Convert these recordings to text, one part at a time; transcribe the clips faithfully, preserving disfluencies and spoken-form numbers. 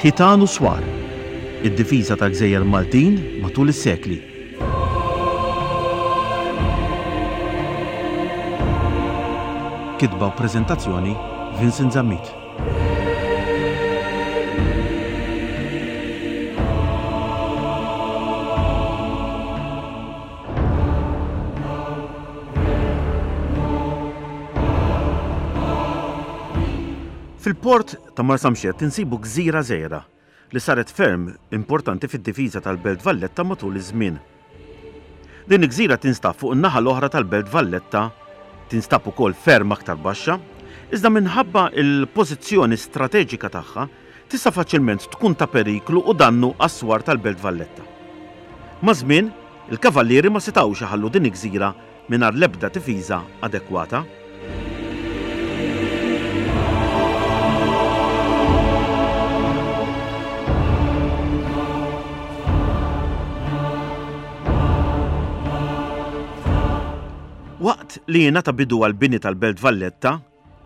Ħitan u Swar, id-difiża tal-Gżejjer Maltin matul is-sekli. Kitba u preżentazzjoni Vincent Zammit. Fil-port ta' Marsamxett insibu gżira żgħira li saret ferm importanti fid-difiża tal-Belt Valletta matul iż-żmien. Din il-gżira tinstab fuq in-naħa l-oħra tal-Belt Valletta, tinstab ukoll ferm aktar baxxa, iżda minħabba l-pożizzjoni strateġika tagħha tista' faċilment tkun ta' periklu u dannu għas-swar tal-Belt Valletta. Maż-żmien, il-kavallieri ma setgħux iħallu din il-gżira mingħajr l-ebda difiża adekwata. Waqt li jingħata bidu għall-bini tal-Belt Valletta,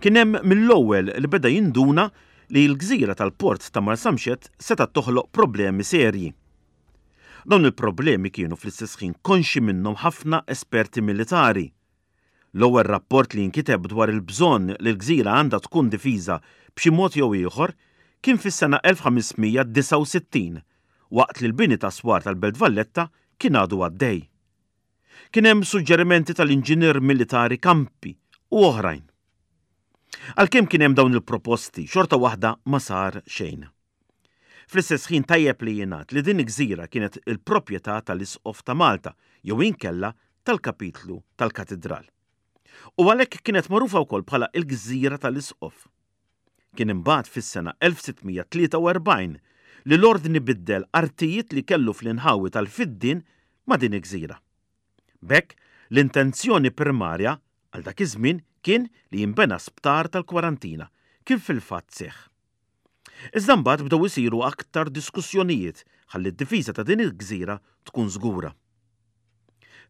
kien hemm mill-ewwel li beda jinduna li l-gżira tal-port ta' Marsamxett setgħet toħloq problemi serji. Dawn il-problemi kienu fl-istess ħin konxji minnhom ħafna esperti militari. L-ewwel rapport li nkiteb dwar il-bżonn li l-gżira għandha tkun difiża b'xi mod jew ieħor kien fis-sena elf ħames mija disgħa u sittin, waqt li l-bini ta' swar tal-Belt Valletta kien għadu għaddej. Kien hemm suġġerimenti tal-inġinier militari Campi u oħrajn. Għalkemm kien hemm dawn il-proposti, xorta waħda ma sar xejn. Fl-istess ħin tajjeb li jingħad li din il-gżira kienet il-proprjetà tal-Isqof ta' Malta jew inkella tal-kapitlu tal-Katidral. U għalhekk kienet magħrufa wkoll bħala il-Gżira tal-Isqof. Kien imbagħad fis-sena elf sitt mija tlieta u erbgħin li l-ordni biddel artijiet li kellu fl-inħawi tal-Fiddien ma' din il-gżira. B'hekk, l-intenzjoni primarja għal dak iż-żmien kien li jinbena sptar tal-kwarantina, kif fil-fatt seħħ. Iżda mbagħad bdew isiru aktar diskussjonijiet ħalli d-difiża ta' din il-gżira tkun żgura.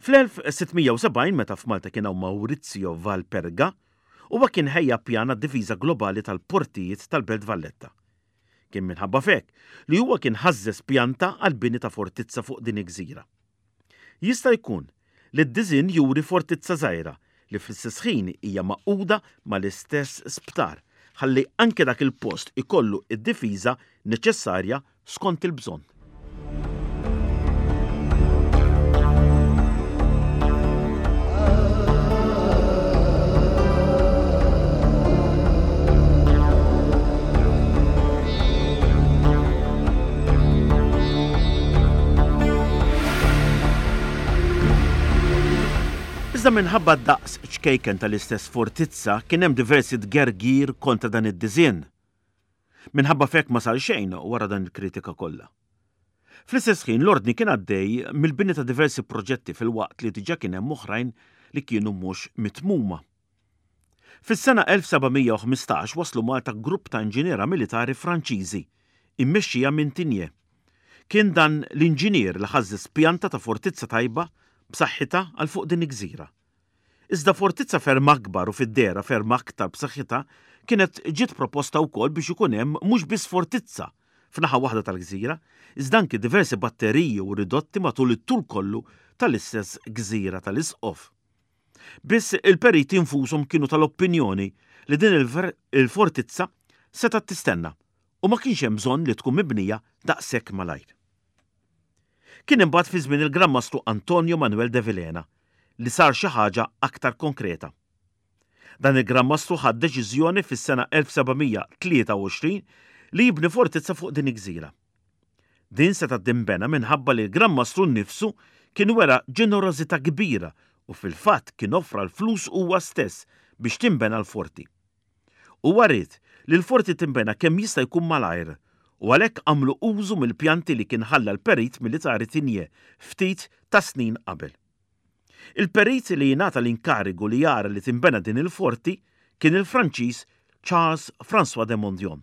Fl-elf sitt mija u sebgħin meta f'Malta kien hawn Maurizio Valperga, huwa kien ħejja pjan għad-difiża globali tal-portijiet tal-Belt Valletta. Kien minħabba f'hekk li huwa kien ħażżeż pjanta għall-bini ta' fortizza fuq din il-gżira. Jista' jkun li d-diżinn juri fortizza żgħira li fl-istess ħin hija maquda mal-istess sptar, ħalli anke dak il-post ikollu id-difiża neċessarja skont il-bżonn. Iżda minħabba d-daqs ċkejken tal-istess fortizza kien hemm diversi tgergir kontra dan id-diżinn. Minħabba f'hekk ma sar xejn wara dan il-kritika kollha. Fl-istess ħin l-ordni kien għaddej mill-bini ta' diversi proġetti filwaqt li diġà kien hemm oħrajn li kienu mhux mitmuma. Fis-sena elf seba' mija u ħmistax waslu Malta grupp ta' inġiniera militari Franċiżi, immexxija minn Tigné. Kien dan l-inġinier li ħażżeż pjanta ta' fortizza tajba b'saħħitha għal fuq din il-gżira. Iżda fortizza ferm akbar u fid-dehra ferm aktar b'saħħitha kienet ġiet proposta wkoll biex ikun hemm mhux biss fortizza f'naħa waħda tal-gżira, iżda anki diversi batteriji u ridotti matul it-tul kollu tal-istess gżira tal-Isqof. Biss il-periti infushom kienu tal-opinjoni li din il-ver-, il-fortizza setgħet tistenna u ma kienx hemm bżonn li tkun mibnija daqshekk malajr. Kien imbagħad fi żmien il-Gran Mastru Antonio Manuel de Vilhena li sar xi ħaġa aktar konkreta. Dan il-Gran Mastru ħad deċiżjoni fis-sena elf seba' mija tlieta u għoxrin li jibni fortizza fuq din il-gżira. Din setgħet tinbena minħabba li l-Gran Mastru nnifsu kien wera ġenerożità kbira u fil-fatt kien offra l-flus huwa stess biex tinbena l-forti. Huwa ried li l-forti tinbena kemm jista' jkun malajr u għalhekk għamlu użu mill-pjanti li kien ħalla l-perit militari Tigné ftit ta' snin qabel. Il-perit li jingħata l-inkarigu li jara li tinbena din il-forti kien il-Franċiż Charles François de Mondion,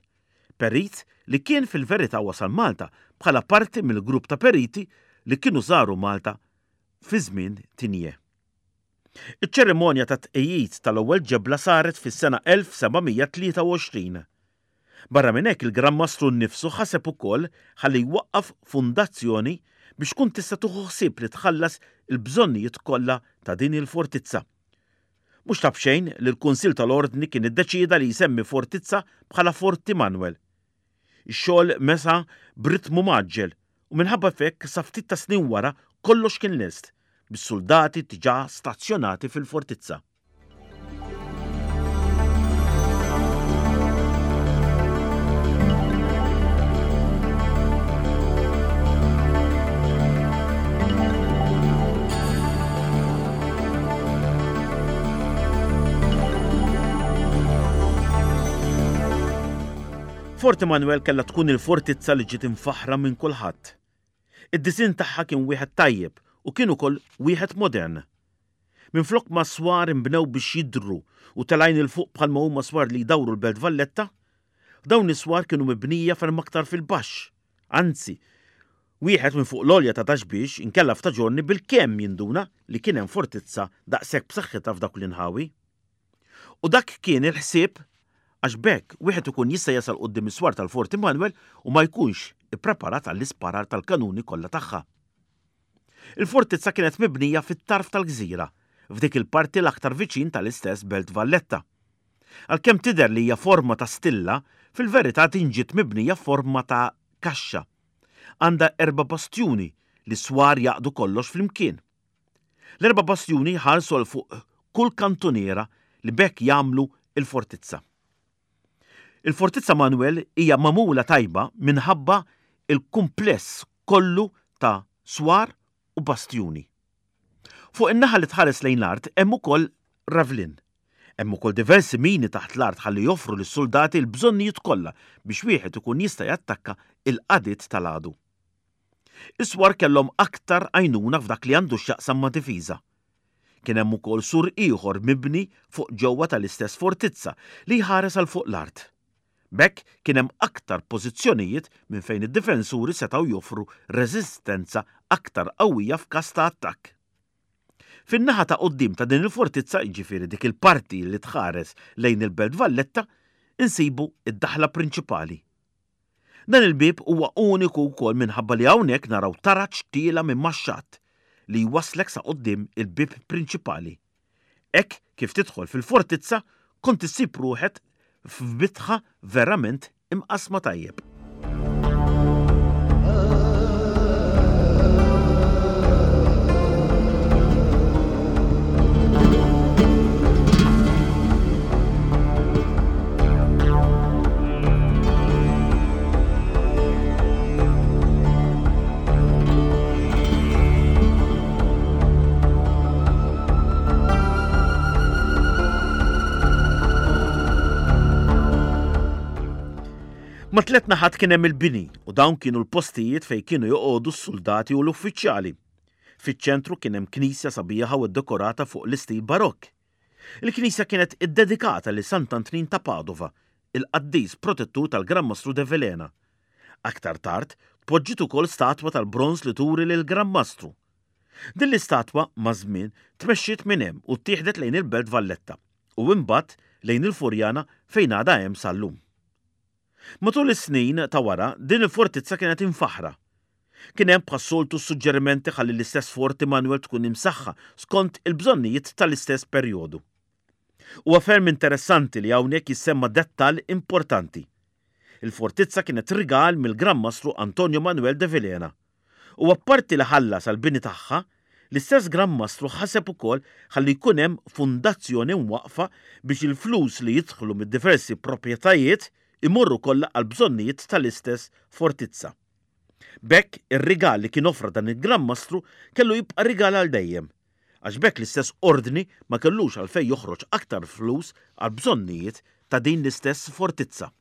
perit li kien fil-verità wasal Malta bħala parti mill-grupp ta' periti li kienu żaru Malta fi żmien Tigné. Iċ-ċerimonja ta' tqejjid tal-ewwel ġebla saret fis-sena elf seba' mija tlieta u għoxrin. Barra minn hekk il-Gran Mastru nnifsu ħaseb ukoll ħalli jwaqqaf fundazzjoni biex tkun tista' tieħu ħsieb li tħallas il-bżonnijiet kollha ta' din il-fortizza. Mhux ta' b'xejn li l-Kunsill tal-Ordni kien iddeċieda li jsemmi fortizza bħala Forti Manwel. Ix-xogħol mesa b'ritmu mgħaġġel u minħabba f'hekk sa ftit ta' snin wara kollox kien lest, bis-suldati diġà stazzjonati fil-fortizza. Forti Manuel kellha tkun il-fortizza li ġiet imfaħħra minn kulħadd. Id-disinn tagħha kien wieħed tajjeb u kien ukoll wieħed modern. Minflok ma swar inbnew biex jidhru u telgħin 'il fuq bħalma huma swar li jdawru l-Belt Valletta, dawn is-swar kienu mibnija ferm aktar fil-baxx. Anzi, wieħed minn fuq l-għolja ta' Ta' Xbiex inkella f'Ta' Ġiorni bilkemm jinduna li kien hemm fortizza daqshekk b'saħħitha f'dawk l-inħawi. U dak kien il-ħsieb għax b'hekk wieħed ikun jista' jasal quddiem is-swar tal-Forti Manuel u ma jkunx ippreparat għall-isparar tal-kanuni kollha tagħha. Il-fortizza kienet mibnija fit-tarf tal-gżira, f'dik il-parti l-aktar viċin tal-istess Belt Valletta. Għalkemm tidher li hija forma ta' stilla, fil-verità din ġiet mibnija f'forma ta' kaxxa. Għandha erba' bastjuni li swar jaqdu kollox flimkien. L-erba' bastjuni jħarsu għal fuq kull kantuniera li b'hekk jagħmlu il-fortizza. Il-Fortizza Manuel hija magħmula tajba minħabba il-kumpless kollu ta' swar u bastjuni. Fuq in-naħa li tħares lejn l-art hemm ukoll ravlin. Hemm ukoll diversi mini taħt l-art ħalli joffru lis-soldati l-bżonnijiet kollha biex wieħed ikun jista' jattakka il-qadiet tal-għadu. Is-swar kellhom aktar għajnuna f'dak li għandu x'jaqsam ma' difiża. Kien hemm ukoll sur ieħor mibni fuq ġewwa tal-istess fortizza li jħares għal fuq l-art. B'hekk kien hemm aktar pożizzjonijiet minn fejn id-difensuri setgħu joffru reżistenza aktar qawwija f'każ ta' attakk. Fin-naħa ta' quddiem ta' din il-fortizza, jiġifieri dik il-parti li tħares lejn il-Belt Valletta, insibu id-daħla prinċipali. Dan il-bieb huwa uniku wkoll minħabba li hawnhekk naraw taraġ tiela minn max-xatt li jwasslek sa quddiem il-bieb prinċipali. Hekk kif tidħol fil-fortizza kont issib ruħek f'bitħa verament imqasma tajjeb. Ma tliet naħat kien hemm il-bini u dawn kienu l-postijiet fejn kienu joqogħdu s-soldati u l-uffiċjali. Fiċ-ċentru kien hemm knisja sabiħa u ddekorata fuq l-istil barokk. Il-knisja kienet iddedikata lil Sant'Antnin ta' Padova, il-qaddis protettur tal-Gran Mastru de Vilhena. Aktar tard, tpoġġiet ukoll statwa tal-bronż li turi lil Gran Mastru. Din l-istatwa maż-żmien tmexxiet minn hemm u ttieħdet lejn il-Belt Valletta u imbagħad lejn il-Furjana fejn għadha hemm sal-lum. Matul is-snin ta' wara, din il-fortizza kienet imfaħħra. Kien hemm bħas-soltu suġġerimenti ħalli l-istess Forti Manuel tkun imsaħħa skont il-bżonnijiet tal-istess perjodu. Huwa ferm interessanti li hawnhekk jissemma dettall importanti. Il-fortizza kienet rigal mill-Gran Mastru Antonio Manuel de Vilhena. U apparti li ħallas għall-bini tagħha, l-istess Gran Mastru ħaseb ukoll ħalli jkun hemm fundazzjoni mwaqqfa biex il-flus li jidħlu mid-diversi proprjetajiet imorru kollha għal bżonnijiet tal-istess fortizza. B'hekk ir-rigal li kien offra dan il-Gran Mastru kellu jibqa' rigal għal dejjem, għax b'hekk l-istess ordni ma kellux għalfejn joħroġ aktar flus għal bżonnijiet ta' din l-istess fortizza.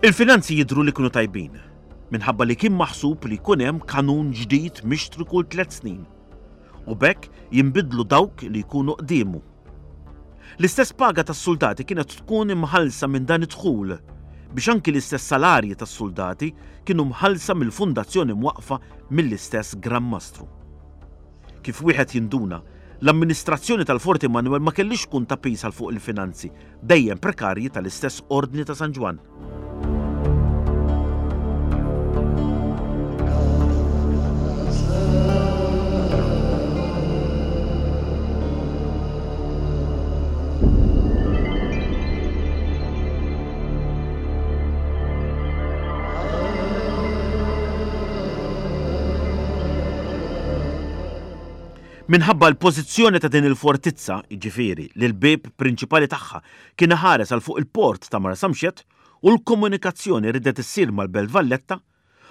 Il-finanzi jidhru li kienu tajbin, minħabba li kien maħsub li jkun hemm kanun ġdid mixtri kull tliet snin, u b'hekk jinbidlu dawk li jkunu qdiemu. L-istess paga tas-soldati kienet tkun imħallsa minn dan id-dħul, biex anki l-istess salarji tas-suldati kienu mħallsa mill-fundazzjoni mwaqqfa mill-istess Gran Mastru. Kif wieħed jinduna, l-amministrazzjoni tal-Forti Manoel ma kellhiex tkun ta' piż għal fuq il-finanzi dejjem prekarji tal-istess Ordni ta' San Ġwann. Minħabba l-pożizzjoni ta' din il-fortizza, jiġifieri li l-bieb prinċipali tagħha kien iħares għal fuq il-port ta' Marsamxett u l-komunikazzjoni ridet issir mal-Belt Valletta,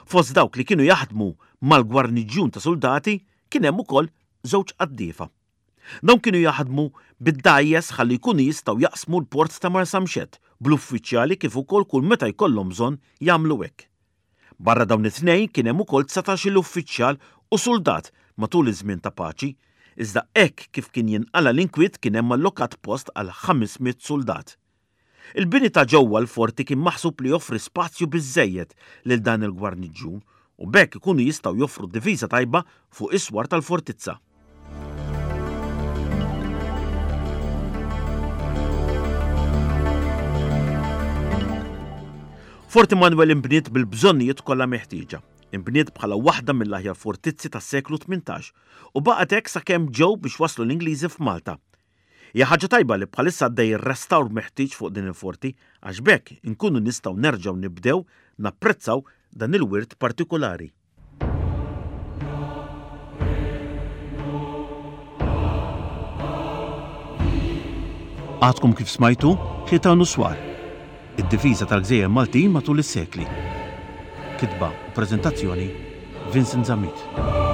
fost dawk li kienu jaħdmu mal-gwarniġjun ta' suldati kien hemm ukoll żewġ qaddiefa. Dawn kienu jaħdmu bid-dgħajjes ħalli jkunu jistgħu jaqsmu l-port ta' Marsamxett bl-uffiċjali kif ukoll kull meta jkollhom bżonn jagħmlu hekk. Barra dawn it-tnejn kien hemm ukoll dsatax-il uffiċjal u suldat matul iż-żmien ta' paċi, iżda hekk kif kien jinqala' l-inkwiet kien hemm allokat post għal ħames mitt suldat. Il-bini ta' ġewwa l-forti kien maħsub li joffri spazju biżżejjed lil dan il-gwarniġġun u b'hekk ikunu jistgħu joffru difiża tajba fuq is-swar tal-fortizza. Forti Manoel inbniet bil-bżonnijiet kollha meħtieġa. Inbniet bħala waħda mill-aħjar fortizzi tas-seklu tmintax u baqgħet hekk sakemm ġew biex waslu l-Ingliżi f'Malta. Hija ħaġa tajba li bħalissa għaddej ir-restawr meħtieġ fuq din il-forti għax b'hekk inkunu nistgħu nerġgħu nibdew napprezzaw dan il-wirt partikolari. Għadkom kif smajtu Ħitan u Swar, id-difiża tal-gżejjer Maltin matul is-sekli. Kitba u preżentazzjoni Vincent Zammit.